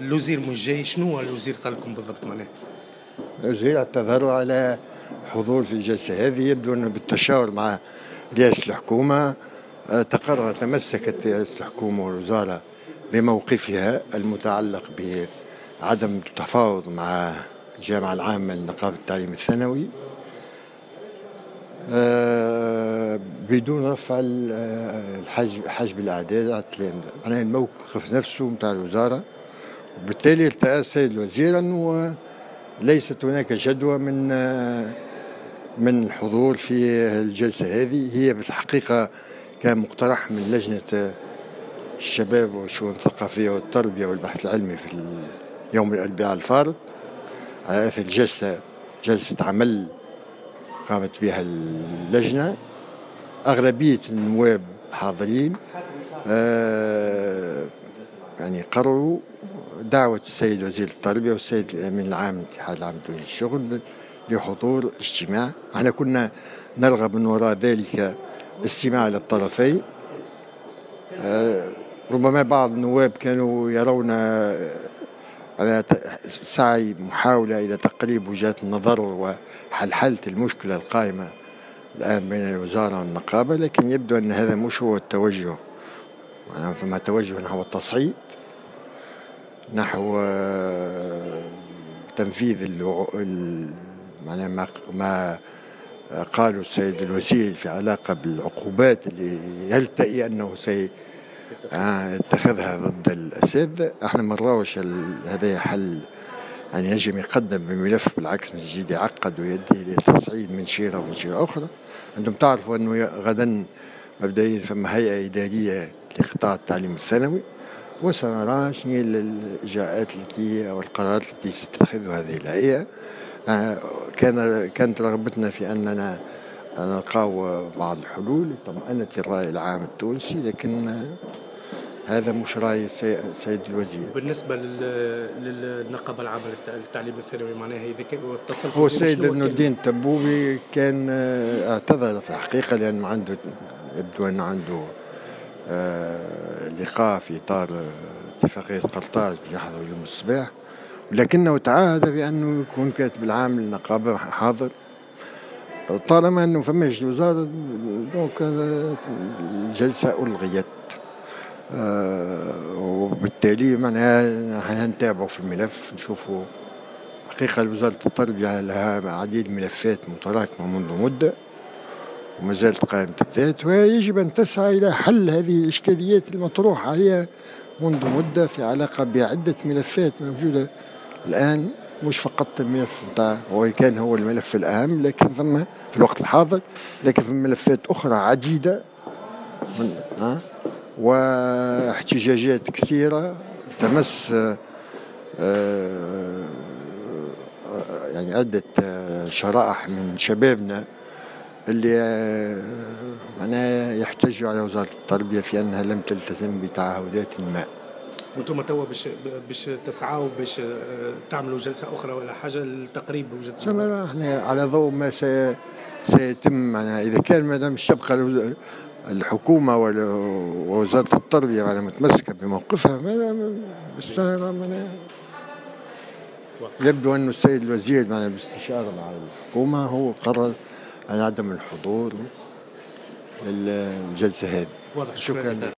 الوزير مش جاي، شنو هو الوزير قال لكم بالضبط معناها؟ الوزير اعتذر على حضور في الجلسة هذه، يبدو أنه بالتشاور مع رئاسة الحكومة تقرر، تمسكت رئاسة الحكومة والوزارة بموقفها المتعلق بعدم التفاوض مع الجامعة العامة لنقابة التعليم الثانوي بدون رفع حجب الأعداد على التلامذة، معناها الموقف نفسه نتاع الوزارة. وبالتالي ارتأى السيد الوزير أنه ليست هناك جدوى من الحضور في الجلسة هذه. هي بالحقيقة كان مقترح من لجنة الشباب والشؤون الثقافية والتربية والبحث العلمي في يوم الأربعاء الفارط على أثر جلسة عمل قامت بها اللجنة. أغلبية النواب الحاضرين يعني قرروا دعوة السيد وزير التربية والسيد الأمين العام للاتحاد العام التونسي للشغل لحضور اجتماع. احنا كنا نرغب من وراء ذلك استماع للطرفين. ربما بعض النواب كانوا يرون على سعي محاولة إلى تقريب وجهات النظر وحلحلة المشكلة القائمة الآن بين الوزارة والنقابة، لكن يبدو أن هذا مش هو التوجه. يعني فما توجه نحو التصعيد، نحو تنفيذ معناها ما قالوا السيد الوزير في علاقة بالعقوبات اللي يلتئي أنه سيتخذها ضد الأساتذة. احنا ما نراوش هذا حل، يعني يجب يقدم بملف، بالعكس يزيد يعقد ويدي للتصعيد من شيرة ومن شيرة أخرى. أنتم تعرفوا أنه غدا مبدئيا فما هيئة إدارية لقطاع التعليم الثانوي، وسنرى شنو هي الإجراءات التي أو القرارات التي ستتخذها هذه الهيئة. كانت رغبتنا في أننا نلقاو بعض الحلول لطمأنة الرأي العام التونسي، لكن هذا مش رأي السيد الوزير. بالنسبة للنقابة العامة للتعليم الثانوي، معناها إذا اتصلت هو السيد ابن الدين التبوبي كان اعتذر في الحقيقة، لأنه عنده يبدو أنه عنده لقاء في إطار اتفاقية قرطاج يحضر اليوم الصباح، ولكنه تعهد بأنه يكون كاتب العام للنقابة حاضر. طالما أنه فماش الوزارة donc الجلسة ألغيت، وبالتالي معناها نتابعوا في الملف نشوفوا. حقيقة وزارة التربية لها عديد الملفات متراكمة منذ مدة وما زالت قائمة الذات، ويجب أن تسعى إلى حل هذه الإشكاليات المطروحة عليها منذ مدة في علاقة بعدة ملفات موجودة الآن، مش فقط الملف نتاع هو كان هو الملف الأهم، لكن ثم في الوقت الحاضر، لكن في ملفات أخرى عديدة واحتجاجات كثيرة تمس يعني عدة شرائح من شبابنا اللي معناها يحتجوا على وزارة التربية في أنها لم تلتزم بتعهدات ما. وانتم توا باش تسعوا باش تعملوا جلسة أخرى ولا حاجة لتقريب وجهة النظر؟ احنا على ضوء ما سيتم، معناها إذا كان ما دام تبقى الحكومة ووزارة التربية معناها متمسكة بموقفها، معناها يبدو أن السيد الوزير معناها باستشارة مع الحكومة هو قرر على عدم الحضور للجلسة هذه. شكرا.